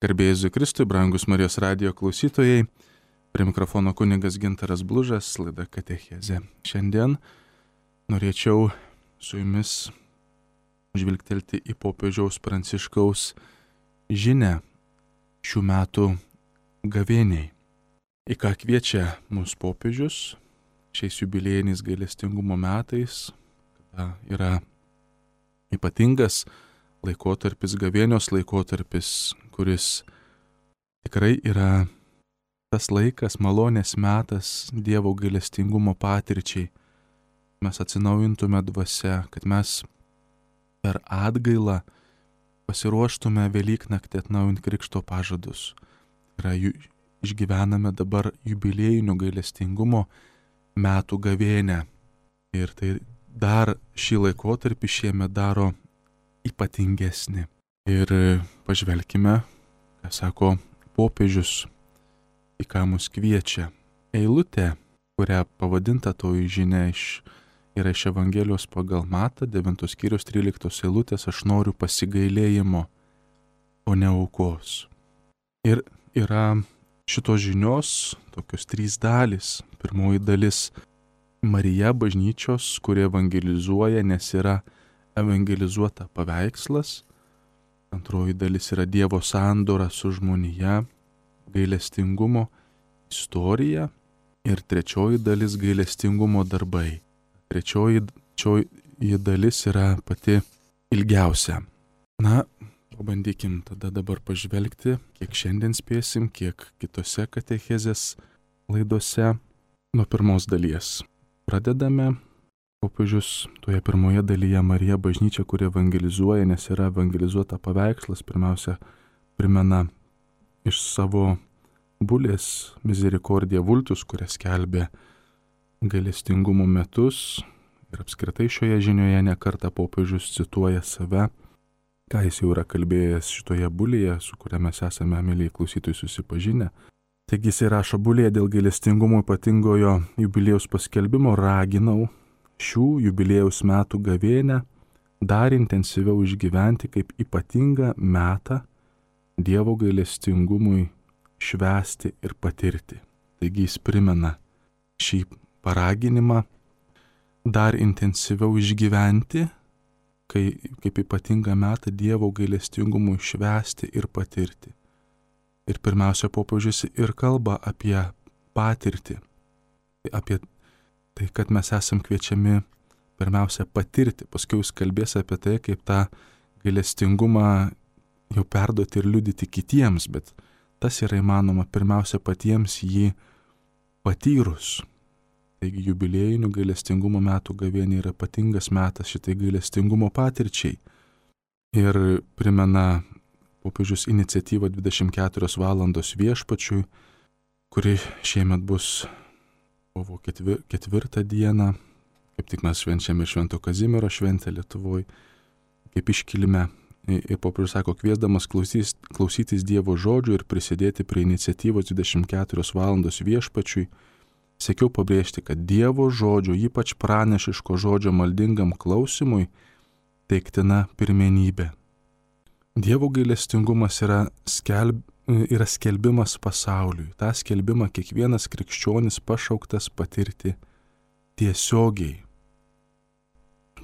Garbė Jėzui Kristui, brangus Marijos radijo klausytojai, prie mikrofono kunigas Gintaras Blužas, laida Katechezė. Šiandien norėčiau su jumis žvilgtelti į popiežiaus Pranciškaus žinią šių metų gavėniai. Į ką kviečia mūsų popiežius šiais jubiliejiniais gailestingumo metais, kada yra ypatingas laikotarpis, gavėnios laikotarpis, kuris tikrai yra tas laikas, malonės metas Dievo gailestingumo patirčiai. Mes atsinaujintume dvasia, kad mes per atgailą pasiruoštume Velyknaktį atnaujinti krikšto pažadus. Išgyvename dabar jubiliejinių gailestingumo metų gavėnę. Ir tai dar šį laikotarpį šiemet daro ypatingesnį. Ir pažvelkime, ką sako popiežius, į ką mus kviečia. Eilutė, kurią pavadinta toji žinia yra iš Evangelijos pagal Matą, 9 skyrius 13 eilutės, aš noriu pasigailėjimo, o ne aukos. Ir yra šitos žinios tokios 3 dalys. Pirmoji dalis - Marija bažnyčios, kuri evangelizuoja, nes yra evangelizuota paveikslas. Antroji dalis yra Dievo sandora su žmonija, gailestingumo istorija. Ir trečioji dalis - gailestingumo darbai. Trečioji dalis yra pati ilgiausia. Na, pabandykim tada dabar pažvelgti, kiek šiandien spėsim, kiek kitose katechezės laidose. Nuo pirmos dalies pradedame. Popiežius toje pirmoje dalyje Marija bažnyčia, kuri evangelizuoja, nes yra evangelizuota paveikslas, pirmiausia primena iš savo bulės Misericordia Vultus, kurią skelbė gailestingumo metus. Ir apskritai šioje žinioje nekartą popiežius cituoja save, ką jis jau yra kalbėjęs šitoje bulėje, su kuria mes esame, mėlyje klausytojai, susipažinę. Taigi jis rašo bulėje dėl gailestingumo ypatingojo jubiliejaus paskelbimo, raginau šių jubiliejaus metų gavėnę dar intensyviau išgyventi kaip ypatingą metą Dievo gailestingumui švęsti ir patirti. Taigi jis primena šį paraginimą dar intensyviau išgyventi kaip ypatingą metą Dievo gailestingumui švęsti ir patirti. Ir pirmiausia, popiežius ir kalba apie patirtį, apie tai, kad mes esam kviečiami pirmiausia patirti, paskui jis kalbės apie tai, kaip tą gailestingumą jau perduoti ir liudyti kitiems, bet tas yra įmanoma pirmiausia patiems jį patyrus. Taigi jubiliejinių gailestingumo metų gavėnė yra ypatingas metas šitai gailestingumo patirčiai. Ir primena popiežius iniciatyvą 24 valandos viešpačiui, kuri šiemet bus kovo 4 dieną, kaip tik mes švenčiame Švento Kazimiero šventę Lietuvoje, kaip iškilime. Ir popiežius sako, kviesdamas klausytis Dievo žodžių ir prisidėti prie iniciatyvos 24 valandos viešpačiui, siekiau pabrėžti, kad Dievo žodžio, ypač pranešiško žodžio maldingam klausimui, teiktina pirmenybė. Dievo gailestingumas yra skelbimas pasauliui. Ta skelbimą kiekvienas krikščionis pašauktas patirti tiesiogiai.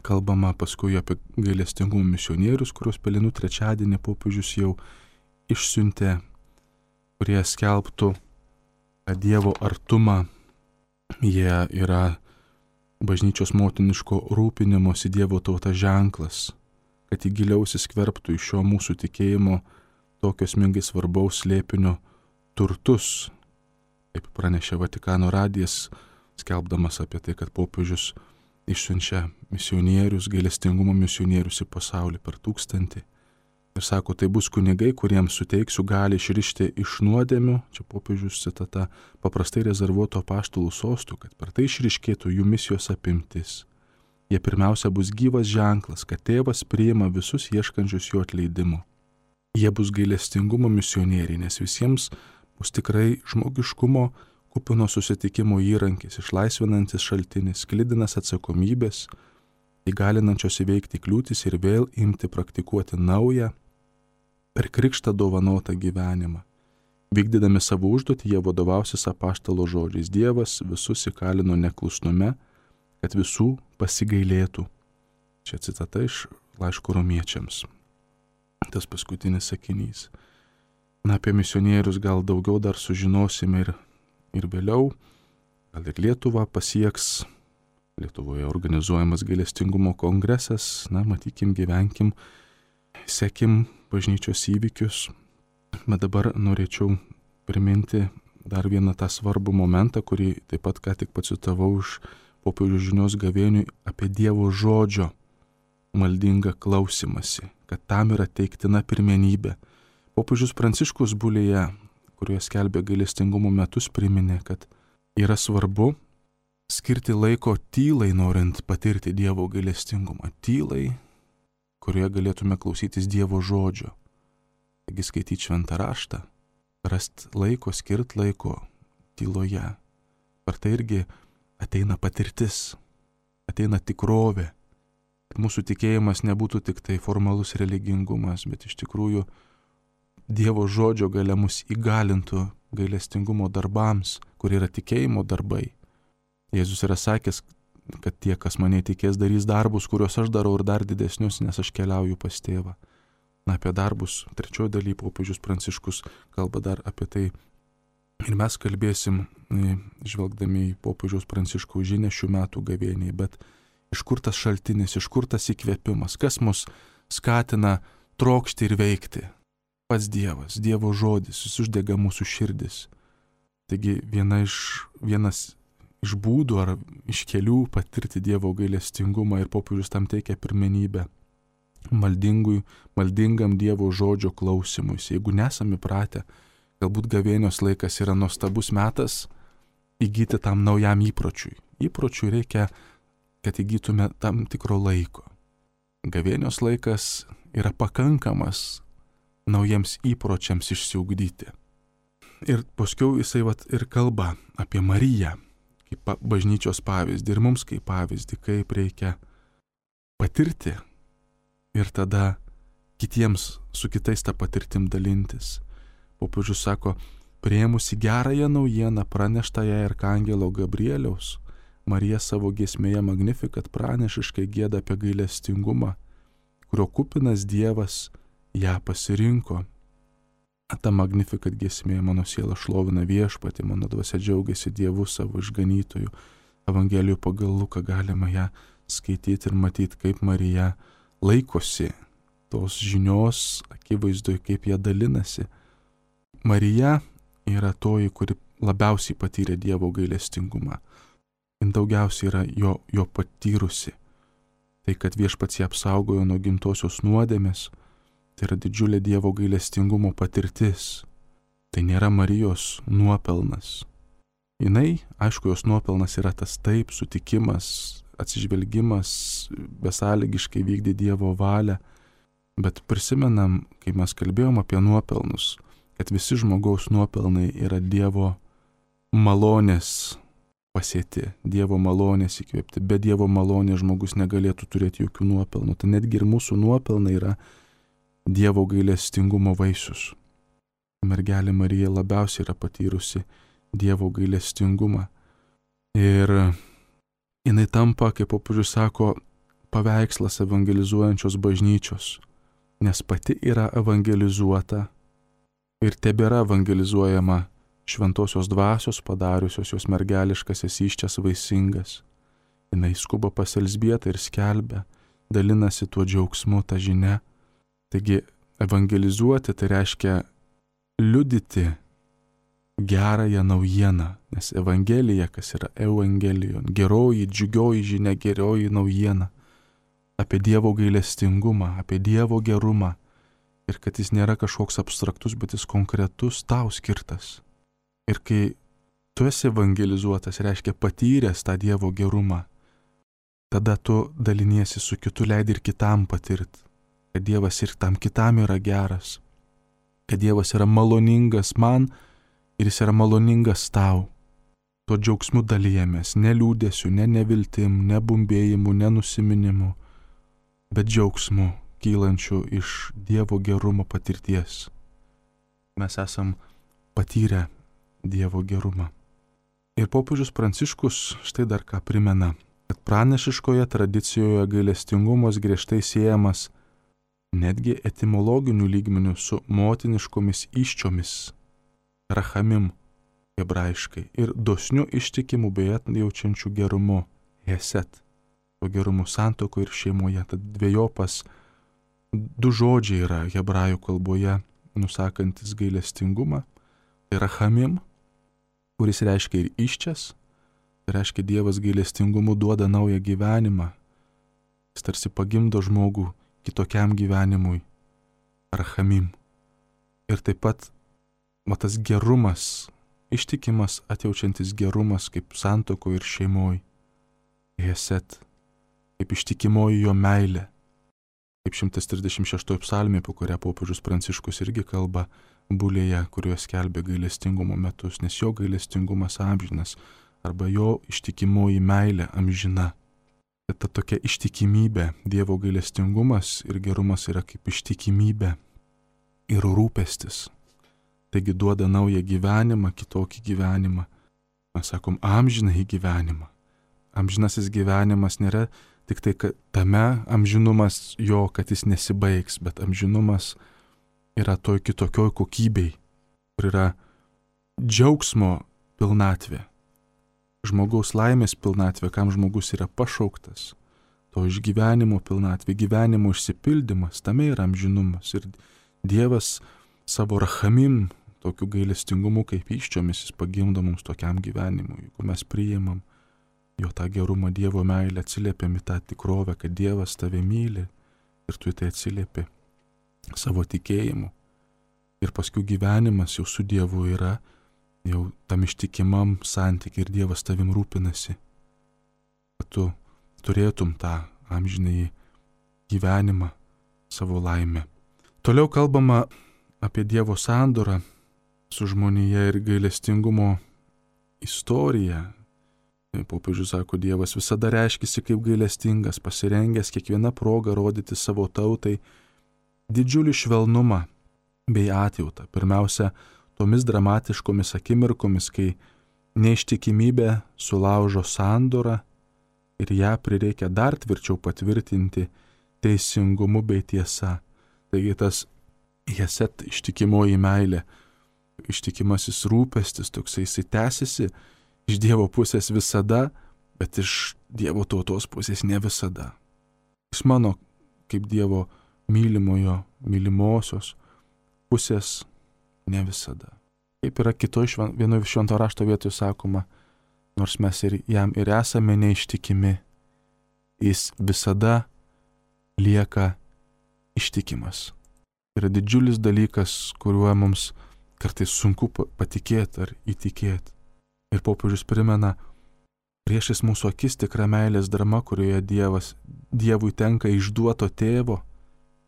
Kalbama paskui apie gailestingumo misionierius, kuriuos Pelenų trečiadienį popiežius jau išsiuntė, kurie skelbtų Dievo artumą. Jie yra bažnyčios motiniško rūpinimosi Dievo tauta ženklas, kad į giliau įsiskverbtų iš šio mūsų tikėjimo tokio esmingai svarbaus slėpinio turtus. Kaip pranešė Vatikano radijas, skelbdamas apie tai, kad popiežius išsiunčia misionierius, gailestingumo misionierius į pasaulį per 1000. Ir sako, tai bus kunigai, kuriems suteiksiu gali išrišti iš nuodėmių, čia popiežius citata, paprastai rezervuoto apaštalų sostų, kad per tai išriškėtų jų misijos apimtis. Jie pirmiausia bus gyvas ženklas, kad tėvas priima visus ieškančius jo atleidimo. Jie bus gailestingumo misionieriai, nes visiems bus tikrai žmogiškumo kupino susitikimo įrankis, išlaisvinantis šaltinis, sklidinas atsakomybės, įgalinančios įveikti kliūtis ir vėl imti praktikuoti naują per krikštą dovanotą gyvenimą. Vykdydami savo užduotį, jie vadovausis apaštalo žodžiais. Dievas visus įkalino neklusnume, kad visų pasigailėtų. Čia citata iš laiško Romiečiams. Tas paskutinis sakinys. Apie misionierius gal daugiau dar sužinosime ir vėliau. Gal ir Lietuvą pasieks. Lietuvoje organizuojamas gailestingumo kongresas. Matykim, gyvenkim, sekim bažnyčios įvykius. Bet dabar norėčiau priminti dar vieną tą svarbų momentą, kurį taip pat ką tik pacitavau iš popiežiaus žinios gavėniui apie Dievo žodžio maldingą klausimąsi, kad tam yra teiktina pirmenybė. Popiežius Pranciškus Bulėje, kurioje skelbė gailestingumo metus, priminė, kad yra svarbu skirti laiko tylai, norint patirti Dievo gailestingumą. Tylai, kurioje galėtume klausytis Dievo žodžio. Taigi skaityti šventą raštą, rast laiko, skirt laiko tyloje. Per tai irgi ateina patirtis, ateina tikrovė. Kad mūsų tikėjimas nebūtų tik tai formalus religingumas, bet iš tikrųjų Dievo žodžio galia mus įgalintų gailestingumo darbams, kur yra tikėjimo darbai. Jėzus yra sakęs, kad tie, kas mane tikės, darys darbus, kuriuos aš darau ir dar didesnius, nes aš keliauju pas tėvą. Apie darbus, trečioji daly, popiežius Pranciškus kalba dar apie tai. Ir mes kalbėsim, žvelgdami į popiežiaus Pranciškaus žinią šių metų gavėniai, bet iš kur tas šaltinis, iš kur tas įkvėpimas, kas mus skatina trokšti ir veikti. Pats Dievas, Dievo žodis, jis uždega mūsų širdis. Taigi vienas iš būdų ar iš kelių patirti Dievo gailestingumą ir popiežius tam teikia pirmenybę maldingam Dievo žodžio klausimui. Jeigu nesame įpratę, galbūt gavėnios laikas yra nuostabus metas įgyti tam naujam įpročiui. Įpročiui reikia, kad įgytume tam tikro laiko. Gavėnios laikas yra pakankamas naujiems įpročiams išsiugdyti. Ir paskiau jisai ir kalba apie Mariją kaip bažnyčios pavyzdį ir mums kaip pavyzdį, kaip reikia patirti ir tada kitiems su kitais tą patirtim dalintis. Popiežius sako, priėmusi gerąją naujieną praneštą jai arkangelo Gabrieliaus, Marija savo giesmėje Magnificat pranešiškai gieda apie gailestingumą, kurio kupinas Dievas ją pasirinko. Ta Magnificat giesmė mano siela šlovina viešpatį, mano dvasia džiaugiasi Dievu savo išganytoju. Evangelijų pagal Luką galima ją skaityti ir matyti, kaip Marija laikosi tos žinios akivaizdoje, kaip jie dalinasi. Marija yra toji, kuri labiausiai patyrė Dievo gailestingumą. Jis daugiausiai yra jo patyrusi. Tai, kad viešpats ją apsaugojo nuo gimtosios nuodėmės, tai yra didžiulė Dievo gailestingumo patirtis. Tai nėra Marijos nuopelnas. Jinai, aišku, jos nuopelnas yra tas taip, sutikimas, atsižvelgimas, besąlygiškai vykdė Dievo valią. Bet prisimenam, kai mes kalbėjom apie nuopelnus, kad visi žmogaus nuopelnai yra Dievo malonės pasėti, Dievo malonės įkvėpti. Be Dievo malonės žmogus negalėtų turėti jokių nuopelnų. Tai netgi ir mūsų nuopelnai yra Dievo gailestingumo vaisius. Mergelė Marija labiausiai yra patyrusi Dievo gailestingumą. Ir jinai tampa, kaip popiežius sako, paveikslas evangelizuojančios bažnyčios, nes pati yra evangelizuota ir tebėra evangelizuojama šventosios dvasios, padariusios jos mergeliškasis įsčias vaisingas. Jinai skuba pas Elzbietą ir skelbia, dalinasi tuo džiaugsmu, tą žinią. Taigi evangelizuoti tai reiškia liudyti gerąją naujieną, nes evangelija, kas yra evangelijon, geroji, džiugioji žinia, geroji naujiena apie Dievo gailestingumą, apie Dievo gerumą ir kad jis nėra kažkoks abstraktus, bet jis konkretus, tau skirtas. Ir kai tu esi evangelizuotas, reiškia patyręs tą Dievo gerumą, tada tu daliniesi su kitu, leidi ir kitam patirti, kad Dievas ir tam kitam yra geras, kad Dievas yra maloningas man ir jis yra maloningas tau. Tuo džiaugsmu dalyjamės, ne liūdėsiu, ne neviltim, ne bumbėjimu, ne nusiminimu, bet džiaugsmu, kylančių iš Dievo gerumo patirties. Mes esam patyrę Dievo gerumą. Ir popiežius Pranciškus štai dar ką primena, kad pranašiškoje tradicijoje gailestingumas griežtai siejamas netgi etimologiniu lygmeniu su motiniškomis įsčiomis, rachamim hebrajiškai, ir dosniu ištikimu bei atjaučiančiu gerumu, heset, to gerumu santuokoje ir šeimoje. Tad dviejopas du žodžiai yra hebrajų kalboje nusakantis gailestingumą, tai rachamim, kuris reiškia ir iščias, tai reiškia Dievas gailestingumu duoda naują gyvenimą, jis tarsi pagimdo žmogų kitokiam gyvenimui, rachamim. Ir taip pat tas gerumas, ištikimas, atjaučiantis gerumas kaip santuokoje ir šeimoje, heset, kaip ištikimoji jo meilė, kaip 136 psalmė, po kurią popiežius Pranciškus irgi kalba bulėje, kurioje skelbė gailestingumo metus, nes jo gailestingumas amžinas, arba jo ištikimoji meilė amžina. Ta tokia ištikimybė, Dievo gailestingumas ir gerumas yra kaip ištikimybė ir rūpestis. Taigi duoda naują gyvenimą, kitokį gyvenimą. Mes sakom, amžinąjį gyvenimą. Amžinasis gyvenimas nėra tik tai, kad tame amžinumas jo, kad jis nesibaigs, bet amžinumas yra toj kitokioj kokybei, kur yra džiaugsmo pilnatvė, žmogaus laimės pilnatvė, kam žmogus yra pašauktas, to išgyvenimo pilnatvė, gyvenimo išsipildymas, tame yra amžinumas. Ir Dievas savo rachamim, tokiu gailestingumu kaip įsčiomis, jis pagimdo mums tokiam gyvenimui. Jeigu mes priimam jo tą gerumą, Dievo meilę, atsiliepiam į tą tikrovę, kad Dievas tave myli ir tu į tai atsiliepi savo tikėjimu. Ir paskui gyvenimas jau su Dievu yra jau tam ištikimam santykiai ir Dievas tavim rūpinasi, kad tu turėtum tą amžinąjį gyvenimą, savo laimę. Toliau kalbama apie Dievo sandorą su žmonija ir gailestingumo istoriją. Popiežius sako, Dievas visada reiškisi kaip gailestingas, pasirengęs kiekvieną progą rodyti savo tautai didžiulį švelnumą bei atjautą. Pirmiausia, tomis dramatiškomis akimirkomis, kai neištikimybė sulaužo sandorą ir ją prireikia dar tvirčiau patvirtinti teisingumu bei tiesa. Taigi tas heset, ištikimoji meilė, ištikimasis rūpestis, toksai jisai tęsiasi iš Dievo pusės visada, bet iš Dievo tautos pusės ne visada. Iš mano kaip Dievo mylimojo, mylimosios pusės ne visada. Kaip yra vienoje švento rašto vietoje sakoma, nors mes ir jam ir esame neištikimi, jis visada lieka ištikimas. Yra didžiulis dalykas, kuriuo mums kartais sunku patikėti ar įtikėti. Ir popiežius primena, priešais mūsų akis tikra meilės drama, kurioje Dievui tenka išduoto tėvo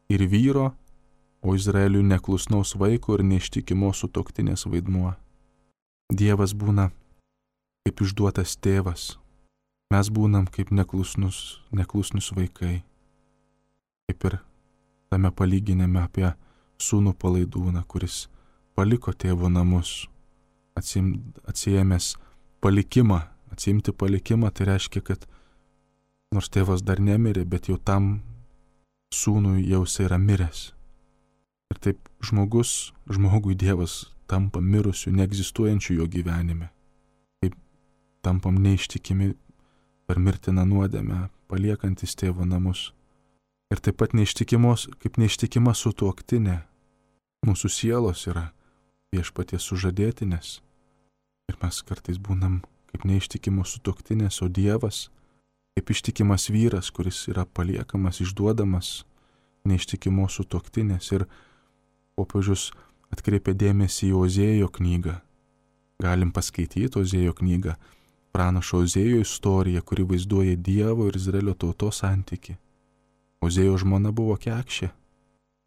ir vyro, o Izraeliui neklusnaus vaiko ir neištikimos sutuoktinės vaidmuo. Dievas būna kaip išduotas tėvas, mes būnam kaip neklusnus vaikai. Kaip ir tame palyginime apie sūnų palaidūną, kuris paliko tėvo namus, atsiėmęs palikimą. Atsiimti palikimą tai reiškia, kad nors tėvas dar nemirė, bet jau tam sūnui jau jis yra miręs. Ir taip žmogui Dievas tampa mirusiu, neegzistuojančiu jo gyvenime. Taip tampam neištikimi per mirtiną nuodėmę, paliekantis tėvo namus. Ir taip pat kaip neištikima sutuoktinė. Mūsų sielos yra viešpaties sužadėtinės. Ir mes kartais būnam kaip neištikimos sutuoktinės, o Dievas kaip ištikimas vyras, kuris yra paliekamas, išduodamas neištikimos sutuoktinės. Ir popiežius atkreipia dėmesį į Ozėjo knygą. Galim paskaityti Ozėjo knygą, pranašo Ozėjo istoriją, kuri vaizduoja Dievo ir Izraelio tautos santykį. Ozėjo žmona buvo kekšė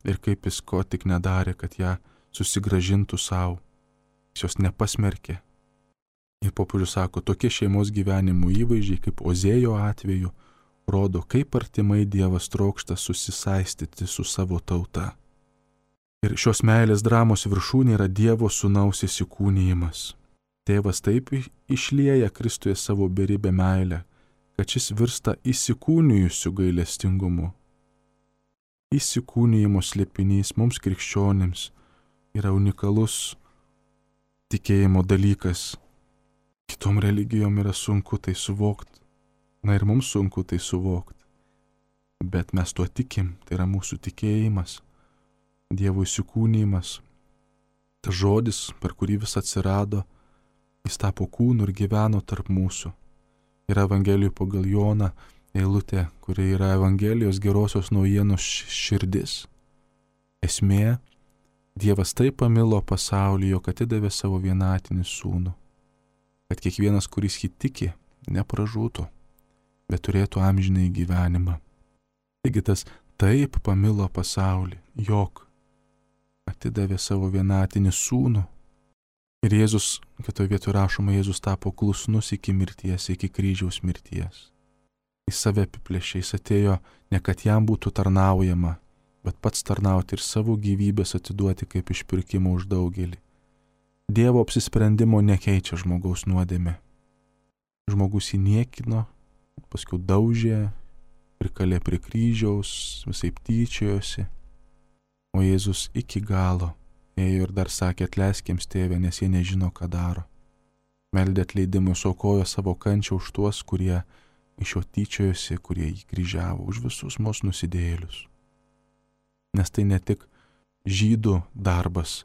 ir kaip jis ko tik nedarė, kad ją susigrąžintų savo. Jis jos nepasmerkė. Ir popiežius sako, tokie šeimos gyvenimų įvaizdžiai kaip Ozėjo atveju rodo, kaip artimai Dievas trokšta susisaistyti su savo tauta. Ir šios meilės dramos viršūnė yra Dievo sūnaus įsikūnijimas. Tėvas taip išlieja Kristuje savo beribę meilę, kad šis virsta įsikūnijusiu gailestingumu. Įsikūnijimo slėpinys mums krikščionims yra unikalus tikėjimo dalykas. Kitom religijom yra sunku tai suvokti. Na ir mums sunku tai suvokti. Bet mes tuo tikim, tai yra mūsų tikėjimas, Dievo įsikūnijimas. Tas žodis, per kurį vis atsirado, jis tapo kūnu ir gyveno tarp mūsų. Yra Evangelijų pagal Joną eilutė, kuri yra Evangelijos gerosios naujienos širdis. Esmė, Dievas taip pamilo pasaulį, jog atidavė savo vienatinį sūnų, kad kiekvienas, kuris jį tiki, nepražūtų, bet turėtų amžinai gyvenimą. Taigi tas taip pamilo pasaulį, jog atidavė savo vienatinį sūnų. Ir Jėzus, kitoje vietoje rašoma, Jėzus tapo klusnus iki mirties, iki kryžiaus mirties. Jis save apiplėšė, jis atėjo ne kad jam būtų tarnaujama, bet pats tarnauti ir savo gyvybės atiduoti kaip išpirkimo už daugelį. Dievo apsisprendimo nekeičia žmogaus nuodėmė. Žmogus jį niekino, paskui daužė, prikalė prie kryžiaus, visaip tyčiojosi. O Jėzus iki galo ėjo ir dar sakė, atleisk jiems, Tėve, nes jie nežino, ką daro. Meldė atleidimui, aukojo savo kančią už tuos, kurie iš jo tyčiojosi, kurie jį kryžiavo, už visus mūsų nusidėjėlius. Nes tai ne tik žydų darbas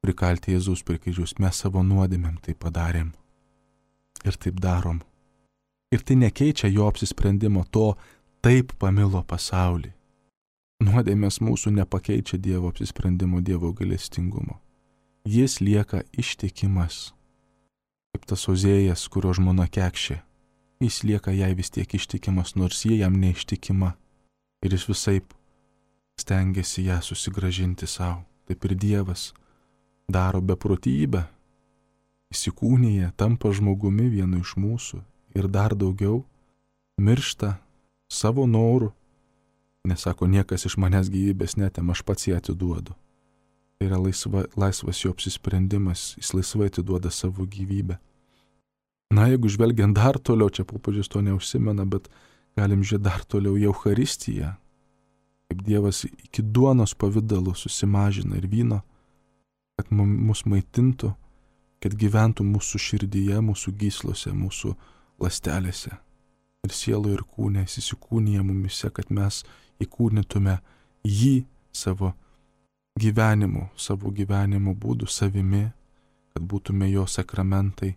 prikalti Jėzus prie kryžiaus, mes savo nuodėmėm tai padarėm ir taip darom. Ir tai nekeičia jo apsisprendimo, to taip pamilo pasaulį. Nuodėmės mūsų nepakeičia Dievo apsisprendimo, Dievo gailestingumo. Jis lieka ištikimas, kaip tas Ozėjas, kurio žmona kekšė. Jis lieka jai vis tiek ištikimas, nors jie jam neištikima. Ir jis visaip stengiasi ją susigrąžinti savo. Taip ir Dievas daro beprotybę, įsikūnija, tampa žmogumi vienu iš mūsų ir dar daugiau miršta savo norų. Nesako, niekas iš manęs gyvybės netem, aš pats ją atiduodu. Tai yra laisvas jo apsisprendimas, jis laisvai atiduoda savo gyvybę. Na, jeigu žvelgiant dar toliau, čia popiežius to neužsimena, bet galim žiūrėti dar toliau į Eucharistiją, kaip Dievas iki duonos pavidalų susimažina ir vyno, kad mus maitintų, kad gyventų mūsų širdyje, mūsų gyslose, mūsų ląstelėse. Ir sielo ir kūne, jis įsikūnija mumise, kad mes įkūnytume jį savo gyvenimo būdu, savimi, kad būtume jo sakramentai,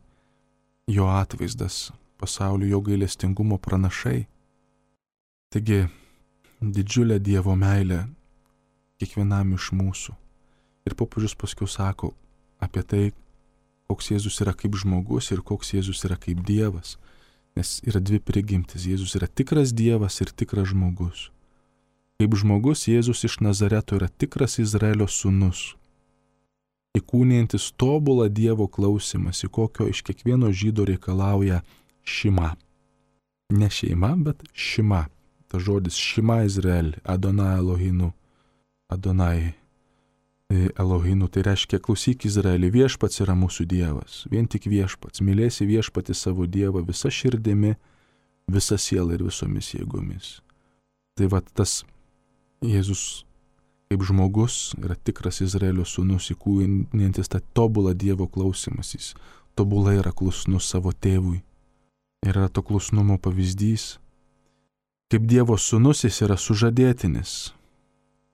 jo atvaizdas pasaulio, jo gailestingumo pranašai. Taigi, didžiulė Dievo meilė kiekvienam iš mūsų. Ir popiežius paskiau sako apie tai, koks Jėzus yra kaip žmogus ir koks Jėzus yra kaip Dievas. Nes yra dvi prigimtis. Jėzus yra tikras Dievas ir tikras žmogus. Kaip žmogus Jėzus iš Nazareto yra tikras Izraelio sūnus, įkūnijantis tobulą Dievo klausimąsi, kokio iš kiekvieno žydo reikalauja šima. Ne šeima, bet šima. Ta žodis šima Izrael, Adonai Elohinu. Adonai Elohinu, tai reiškia klausyk Izraelį, viešpats yra mūsų Dievas, vien tik viešpats, mylėsi viešpatį savo Dievą visa širdimi, visa siela ir visomis jėgomis. Tai va tas Jėzus kaip žmogus yra tikras Izraelio sūnus, įkūnijantis tą tobulą Dievo klausimąsi, jis tobulai yra klusnus savo tėvui. Ir yra to klusnumo pavyzdys. Kaip Dievo sūnus jis yra sužadėtinis,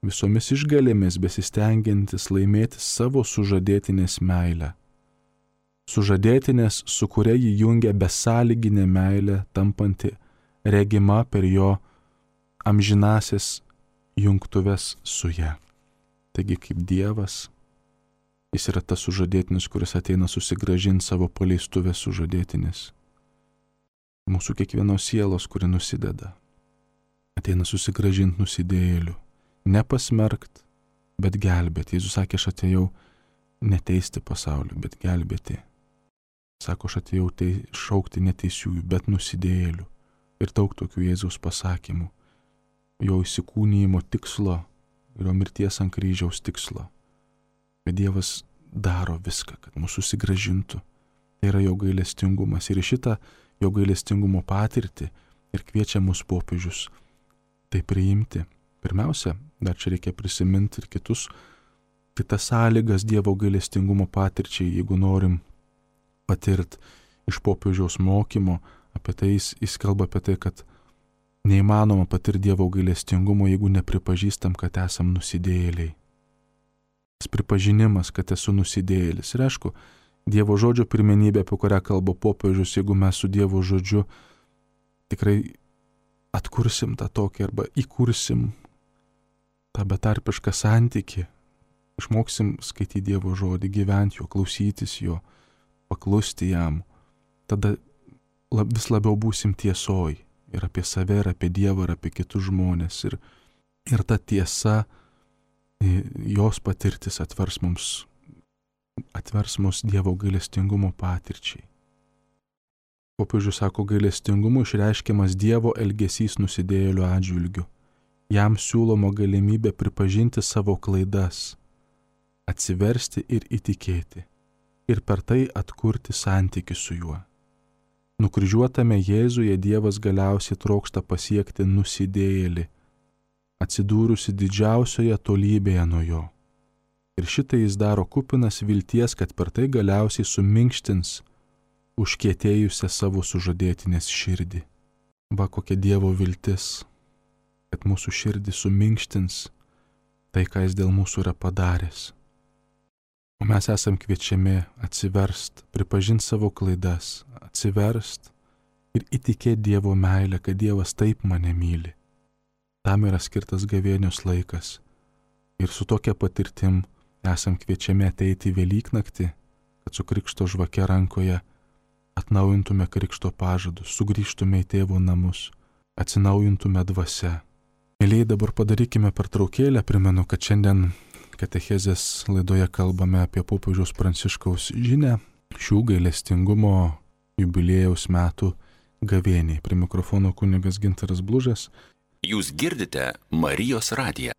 visomis išgalėmis besistengiantis laimėti savo sužadėtinės meilę. Sužadėtinės, su kuria jį jungia besąlyginė meilė, tampanti regima per jo amžinasias jungtuves su ja. Taigi kaip Dievas, jis yra tas sužadėtinis, kuris ateina susigrąžinti savo paleistuvės sužadėtinis. Mūsų kiekvienos sielos, kuri nusideda, ateina susigrąžinti nusidėjėlių. Nepasmerkt, bet gelbėti. Jėzus sakė, aš atėjau neteisti pasaulio, bet gelbėti. Sako, aš atėjau šaukti neteisiųjų, bet nusidėjėlių. ir daug tokių Jėzaus pasakymų, jo įsikūnijimo tikslo ir jo mirties ant kryžiaus tikslo. Bet Dievas daro viską, kad mus susigrąžintų. Tai yra jo gailestingumas ir šitą jo gailestingumo patirtį ir kviečia mus popiežius tai priimti. Pirmiausia, dar čia reikia prisiminti ir kitas sąlygas Dievo gailestingumo patirčiai, jeigu norim patirti iš popiežiaus mokymo, apie tai jis kalba apie tai, kad neįmanoma patirti Dievo gailestingumo, jeigu nepripažįstam, kad esam nusidėjėliai. Pripažinimas, kad esu nusidėjėlis. Ir aišku, Dievo žodžio pirmenybė, apie kurią kalba popiežius, jeigu mes su Dievo žodžiu tikrai atkursim tą tokį arba įkursim tą betarpišką santykį, išmoksim skaityti Dievo žodį, gyventi jo, klausytis jo, paklusti jam, tada vis labiau būsim tiesoj ir apie save, ir apie Dievą, ir apie kitus žmonės. Ir ta tiesa, jos patirtis atvers mus Dievo gailestingumo patirčiai. Popiežius sako, gailestingumu išreiškiamas Dievo elgesys nusidėjėlių atžvilgiu. Jam siūloma galimybė pripažinti savo klaidas, atsiversti ir įtikėti, ir per tai atkurti santykį su juo. Nukryžiuotame Jėzuje Dievas galiausiai trokšta pasiekti nusidėjėlį, atsidūrusi didžiausioje tolybėje nuo jo. Ir šitai jis daro kupinas vilties, kad per tai galiausiai suminkštins užkietėjusią savo sužadėtinės širdį. Va kokia Dievo viltis, kad mūsų širdį suminkštins tai, ką jis dėl mūsų yra padaręs. O mes esam kviečiami atsiverst, pripažinti savo klaidas, atsiverst ir įtikėti Dievo meilę, kad Dievas taip mane myli. Tam yra skirtas gavėnios laikas. Ir su tokia patirtim esam kviečiami ateiti į Velyknaktį, kad su krikšto žvake rankoje atnaujintume krikšto pažadus, sugrįžtume į tėvo namus, atsinaujintume dvasia. Mėlyjei, dabar padarykime pertraukėlę. Primenu, kad šiandien katechezės laidoje kalbame apie popiežiaus Pranciškaus žinią šių gailestingumo jubiliejaus metų gavėniai. Prie mikrofono kunigas Gintaras Blužas. Jūs girdite Marijos radiją.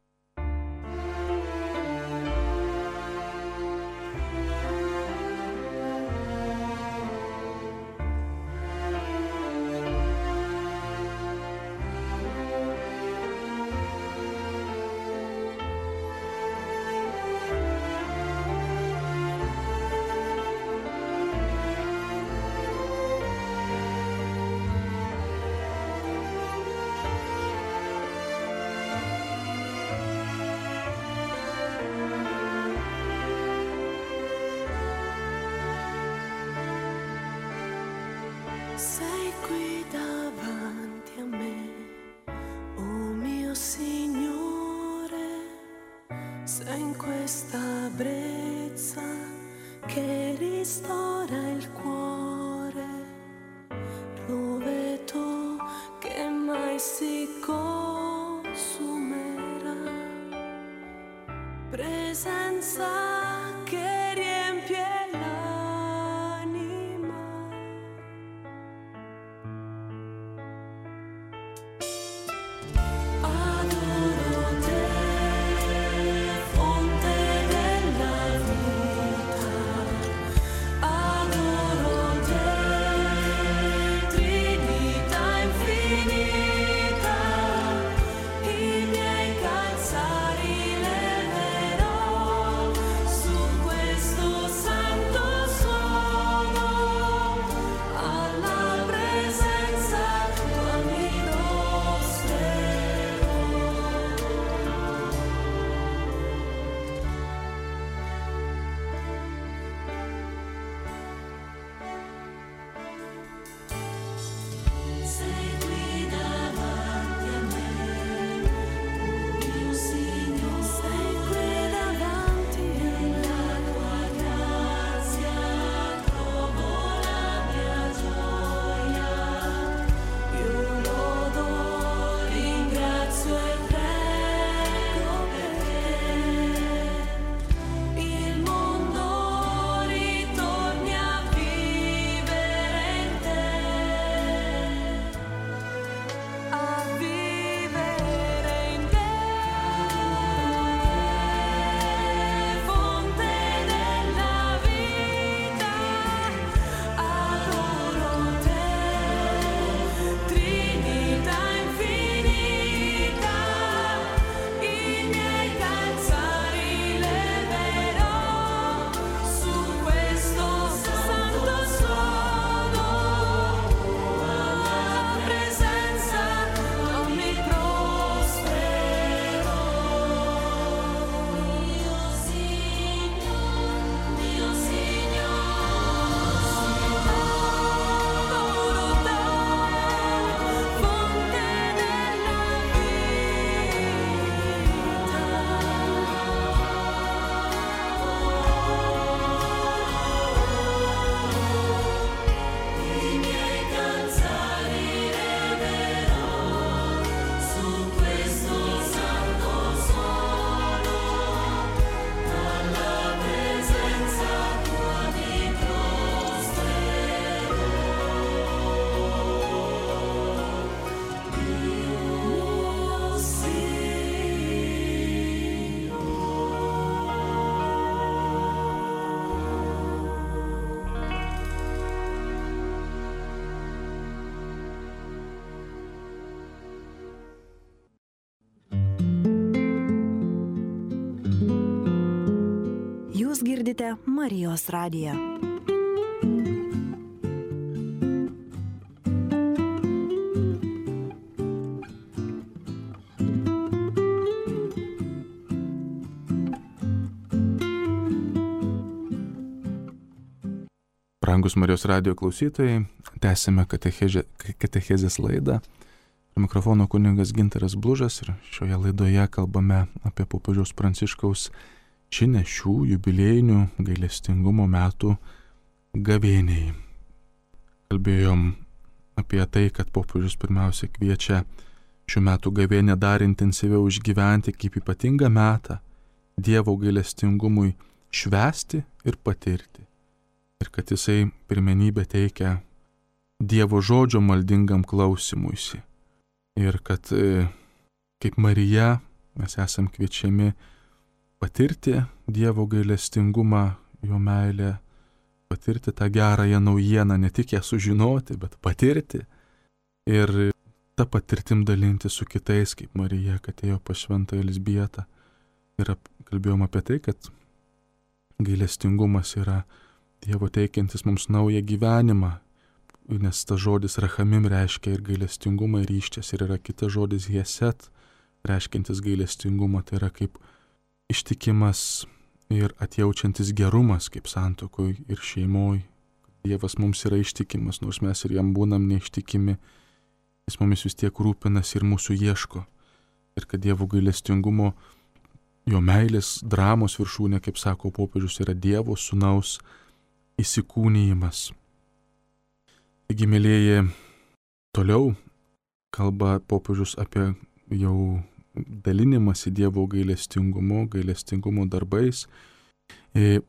Sei qui davanti a me, oh mio Signore, sei in questa brezza che ristora il cuore, roveto che mai si consumerà, presenza che riempie Klausote Marijos radiją. Brangus Marijos radijo klausytojai, tęsime katechezės laidą. Mikrofono kunigas Gintaras Blužas ir šioje laidoje kalbame apie popiežiaus Pranciškaus žinią šių jubiliejinių gailestingumo metų gavėniai. Kalbėjom apie tai, kad popiežius pirmiausia kviečia šių metų gavėnią dar intensyviau išgyventi kaip ypatingą metą Dievo gailestingumui švęsti ir patirti. Ir kad jisai pirmenybę teikia Dievo žodžio maldingam klausimuisi. Ir kad kaip Marija mes esam kviečiami patirti Dievo gailestingumą, jo meilę, patirti tą gerąją naujieną, ne tik ją sužinoti, bet patirti. Ir tą patirtim dalinti su kitais, kaip Marija, kad ėjo pas šventąją Elzbietą. Ir kalbėjom apie tai, kad gailestingumas yra Dievo teikiantis mums naują gyvenimą, nes tas žodis rachamim reiškia ir gailestingumą, ir ryščias, ir yra kitas žodis hieset, reiškiantis gailestingumą, tai yra kaip ištikimas ir atjaučiantis gerumas, kaip santuokoj ir šeimoj. Dievas mums yra ištikimas, nors mes ir jam būnam neištikimi, jis mumis vis tiek rūpinas ir mūsų ieško. Ir kad Dievo gailestingumo, jo meilės dramos viršūnė, kaip sako popiežius, yra Dievo sūnaus įsikūnijimas. Taigi, mėlieji, toliau kalba popiežius apie jau dalinimąsi Dievo gailestingumo darbais.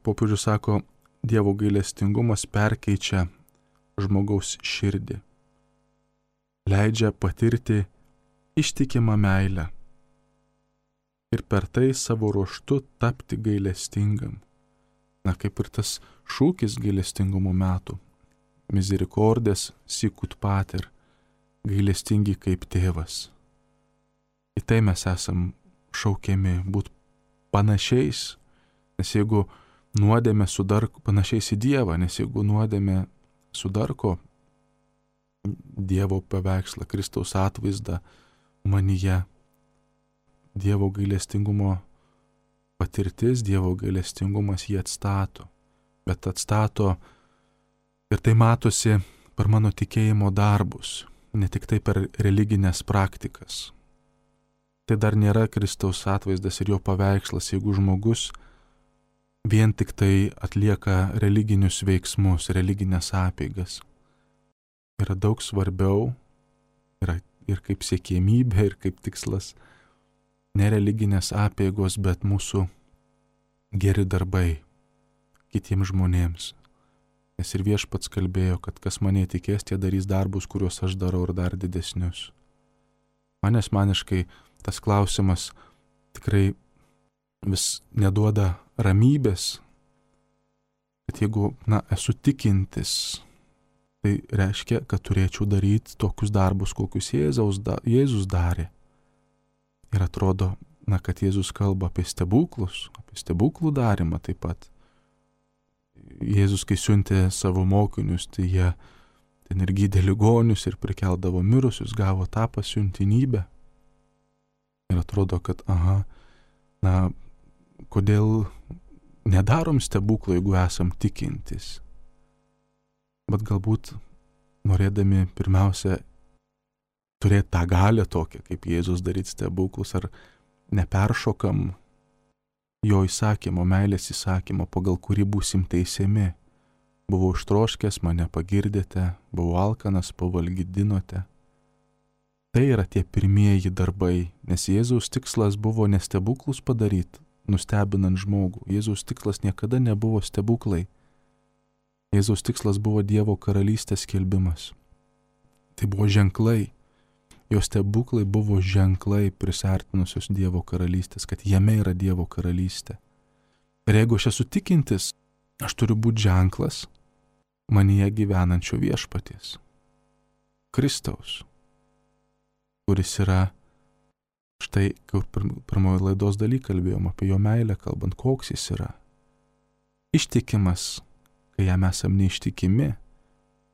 Popiežius sako, Dievo gailestingumas perkeičia žmogaus širdį, leidžia patirti ištikimą meilę ir per tai savo ruožtu tapti gailestingam. Na, kaip ir tas šūkis gailestingumo metų. Misericordes sicut pater, gailestingi kaip tėvas. Į tai mes esam šaukiami būti panašiais, nes jeigu nuodėmė sudarko, panašiais į Dievą, nes jeigu nuodėmė sudarko Dievo paveikslą, Kristaus atvaizdą manyje, Dievo gailestingumo patirtis, Dievo gailestingumas jį atstato, bet atstato ir tai matosi per mano tikėjimo darbus, ne tik tai per religinės praktikas. Tai dar nėra Kristaus atvaizdas ir jo paveikslas, jeigu žmogus vien tik tai atlieka religinius veiksmus, religinės apeigas. Yra daug svarbiau, yra ir kaip siekiamybė, ir kaip tikslas, ne religinės apeigos, bet mūsų geri darbai kitiems žmonėms. Nes ir Viešpats kalbėjo, kad kas mane tikės, tie darys darbus, kuriuos aš darau, ir dar didesnius. Man asmeniškai tas klausimas tikrai vis neduoda ramybės, kad jeigu, esu tikintis, tai reiškia, kad turėčiau daryti tokius darbus, kokius Jėzus darė. Ir atrodo, kad Jėzus kalba apie stebuklus, apie stebuklų darymą taip pat. Jėzus, kai siuntė savo mokinius, tai jie ten ir gydė ligonius ir prikeldavo mirusius, gavo tą pasiuntinybę. Ir atrodo, kad kodėl nedarom stebuklų, jeigu esam tikintis. Bet galbūt norėdami pirmiausia turėti tą galią tokią, kaip Jėzus daryti stebuklus, ar neperšokam jo įsakymo, meilės įsakymo, pagal kurį būsim teisiami. Buvau ištroškęs, mane pagirdėte, buvau alkanas, pavalgydinote. Tai yra tie pirmieji darbai, nes Jėzaus tikslas buvo ne stebuklus padaryti, nustebinant žmogų. Jėzaus tikslas niekada nebuvo stebuklai. Jėzaus tikslas buvo Dievo karalystės skelbimas. Tai buvo ženklai. Jo stebuklai buvo ženklai prisartinusios Dievo karalystės, kad jame yra Dievo karalystė. Ir jeigu aš esu tikintis, aš turiu būti ženklas manyje gyvenančio Viešpaties, Kristaus, kuris yra, štai, kaip pirmoji laidos daly kalbėjom apie jo meilę, kalbant, koks jis yra. Ištikimas, kai jam esam neištikimi,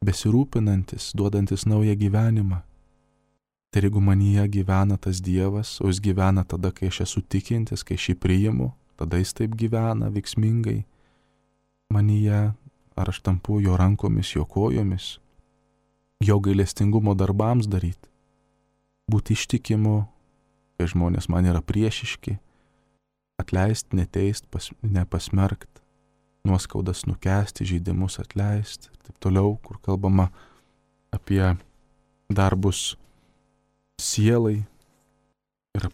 besirūpinantis, duodantis naują gyvenimą. Tai jeigu manyje gyvena tas Dievas, o jis gyvena tada, kai aš esu tikintis, kai aš jį priimu, tada jis taip gyvena veiksmingai manyje, ar aš tampu jo rankomis, jo kojomis, jo gailestingumo darbams daryti, būti ištikimu, kai žmonės man yra priešiški, atleisti, neteisti, nepasmerkti, nuoskaudas nukęsti, žeidimus atleisti ir taip toliau, kur kalbama apie darbus sielai ir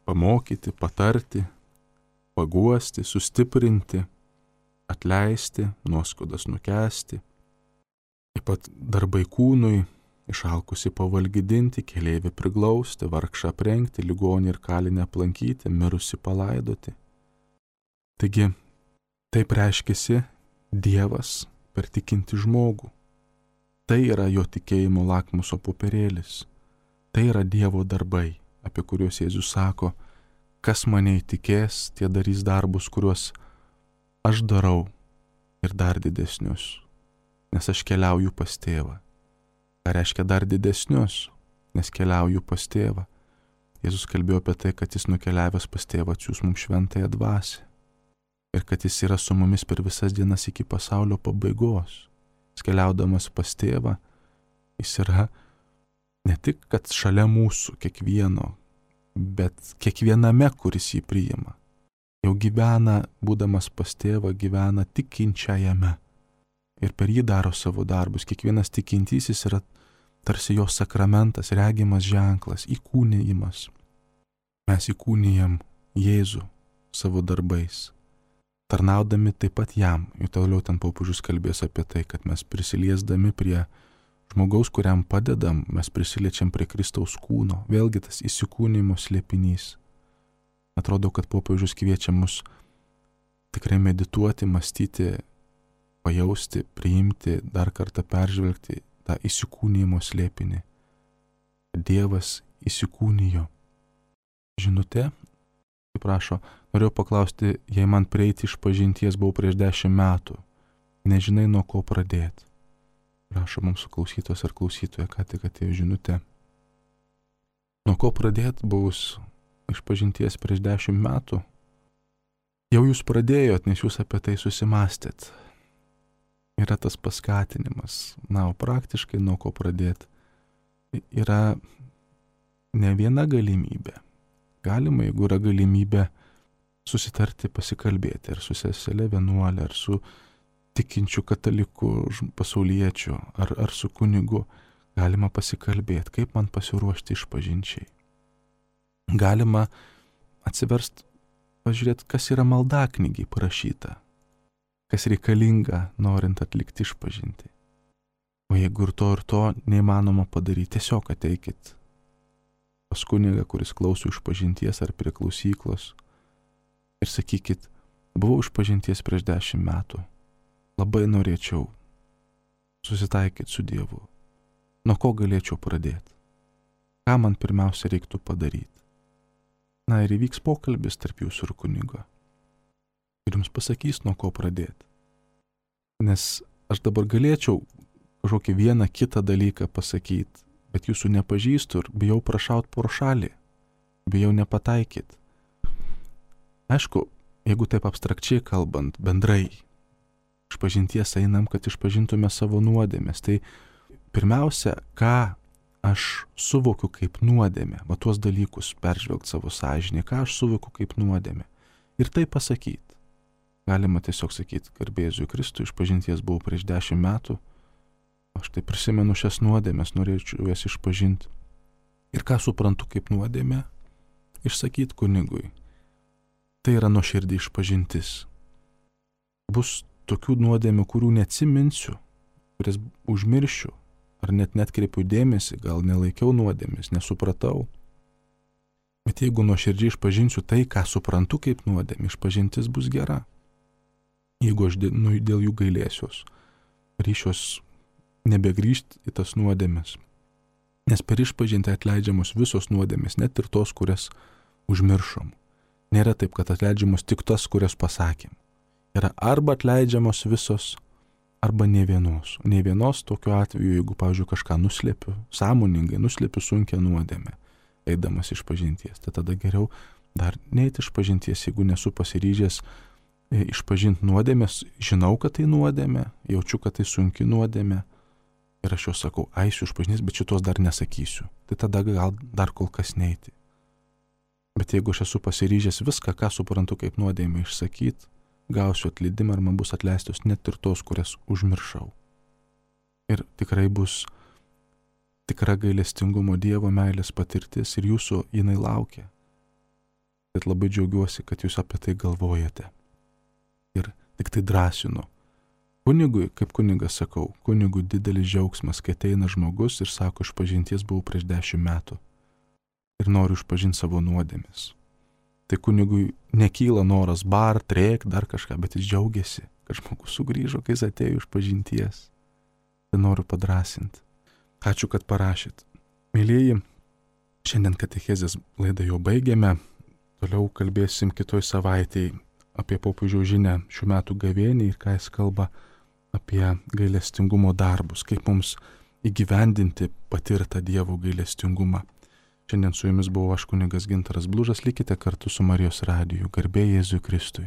pamokyti, patarti, paguosti, sustiprinti, atleisti, nuoskaudas nukęsti. Taip pat darbai kūnui, išalkusi pavalgydinti, keleivį priglausti, vargšą aprengti, ligonį ir kalinę aplankyti, mirusi palaidoti. Taigi, taip reiškiasi Dievas per tikinti žmogų. Tai yra jo tikėjimo lakmuso popierėlis. Tai yra Dievo darbai, apie kuriuos Jėzus sako, kas mane įtikės, tie darys darbus, kuriuos aš darau ir dar didesnius, nes aš keliauju pas tėvą. Ką reiškia dar didesnius, nes keliauju pas tėvą. Jėzus kalbėjo apie tai, kad jis nukeliavęs pas tėvą atsiųs mums šventąją dvasią. Ir kad jis yra su mumis per visas dienas iki pasaulio pabaigos. Jis keliaudamas pas tėvą, jis yra ne tik, kad šalia mūsų kiekvieno, bet kiekviename, kuris jį priima. Jau gyvena, būdamas pas tėvą, gyvena tikinčiajame. Ir per jį daro savo darbus. Kiekvienas tikintysis yra tarsi jo sakramentas, regimas ženklas, įkūnijimas. Mes įkūnijam Jėzų savo darbais, tarnaudami taip pat jam. Ir toliau ten popiežius kalbės apie tai, kad mes prisiliesdami prie žmogaus, kuriam padedam, mes prisiliečiam prie Kristaus kūno. Vėlgi tas įsikūnijimo slėpinys. Atrodo, kad popiežius kviečia mus tikrai medituoti, mąstyti, pajausti, priimti, dar kartą peržvelgti tą įsikūnijimo slėpinį. Dievas įsikūnijo. Žinutė, kaip rašo, norėjau paklausti, jei man prieiti iš pažinties buvau prieš 10 metų, nežinai nuo ko pradėti. Rašo mums klausytos ar klausytoja, ką tik atėjo žinutė. Nuo ko pradėti buvus iš pažinties prieš 10 metų? Jau jūs pradėjot, nes jūs apie tai susimastėt. Yra tas paskatinimas. Na, o praktiškai nuo ko pradėti? Yra ne viena galimybė. Galima, jeigu yra galimybė susitarti, pasikalbėti, ar su seselė vienuolė, ar su tikinčiu kataliku pasauliečiu, ar su kunigu. Galima pasikalbėti, kaip man pasiruošti išpažinčiai. Galima atsiversti, pažiūrėti, kas yra maldaknygiai parašyta, kas reikalinga, norint atlikti išpažinti. O jeigu ir to neįmanoma padaryti, tiesiog ateikit pas kunigą, kuris klauso išpažinties ar prie klausyklos ir sakykit, buvau išpažinties prieš 10 metų, labai norėčiau susitaikyti su Dievu. Nuo ko galėčiau pradėti? Ką man pirmiausia reiktų padaryti? Na ir įvyks pokalbis tarp jūsų ir kunigo. Ir jums pasakys, nuo ko pradėti. Nes aš dabar galėčiau kažkokį vieną kitą dalyką pasakyti, bet jūsų nepažįstu ir bijau prašaut pro šalį, bijau nepataikyti. Aišku, jeigu taip abstrakčiai kalbant, bendrai, išpažinties einam, kad išpažintume savo nuodėmes, tai pirmiausia, ką aš suvokiu kaip nuodėmę, va tuos dalykus peržvelgti savo sąžinį, ką aš suvokiu kaip nuodėmę. Ir tai pasakyti. Galima tiesiog sakyti, garbėsiu Kristui, išpažinties buvau prieš 10 metų, aš tai prisimenu šias nuodėmės, norėčiau jas išpažinti. Ir ką suprantu kaip nuodėmę, išsakyti kunigui. Tai yra nuoširdį išpažintis. Bus tokių nuodėmių, kurių neatsiminsiu, kurias užmiršiu, ar net netkreipiu dėmesį, gal nelaikiau nuodėmės, nesupratau. Bet jeigu nuoširdžiai išpažinsiu tai, ką suprantu kaip nuodėmė, išpažintis bus gera. Jeigu aš dėl jų gailėsiuos, ryšiuos nebegrįžti į tas nuodėmės. Nes per išpažintį atleidžiamos visos nuodėmės, net ir tos, kurias užmiršom. Nėra taip, kad atleidžiamos tik tas, kurias pasakėm. yra arba atleidžiamos visos, arba ne vienos. Ne vienos tokiu atveju, jeigu, pavyzdžiui, kažką nuslėpiu, sąmoningai nuslėpiu sunkią nuodėmę, eidamas iš pažinties, tai tada geriau dar neiti iš pažinties, jeigu nesu pasiryžęs išpažinti nuodėmės, žinau, kad tai nuodėmė, jaučiu, kad tai sunki nuodėmė ir aš jau sakau, eisiu iš pažinties, bet šitos dar nesakysiu. Tai tada gal dar kol kas neiti. Bet jeigu aš esu pasiryžęs viską, ką suprantu kaip nuodėmę išsakyti, gausiu atleidimą ir man bus atleistos net ir tos, kurias užmiršau. Ir tikrai bus tikra gailestingumo Dievo meilės patirtis ir jūsų jinai laukia. Bet labai džiaugiuosi, kad jūs apie tai galvojate. Ir tik tai drąsinu. Kunigui, kaip kunigas sakau, kunigui didelis džiaugsmas, kai ateina žmogus ir sako, išpažinties buvau prieš 10 metų ir noriu išpažinti savo nuodėmes. Tai kunigui nekyla noras trėk, dar kažką, bet jis džiaugiasi, kad žmogus sugrįžo, kai jis atėjo iš pažinties. Tai noriu padrasinti. Ačiū, kad parašėt. Mėlyjeji, šiandien katechezės laidą jau baigėme. Toliau kalbėsim kitoj savaitėje apie popiežiaus žinią šių metų gavėniai ir ką jis kalba apie gailestingumo darbus, kaip mums įgyvendinti patirtą Dievo gailestingumą. Šiandien su jumis buvau aš kunigas Gintaras Blužas, likite kartu su Marijos radiju. Garbė Jėzui Kristui.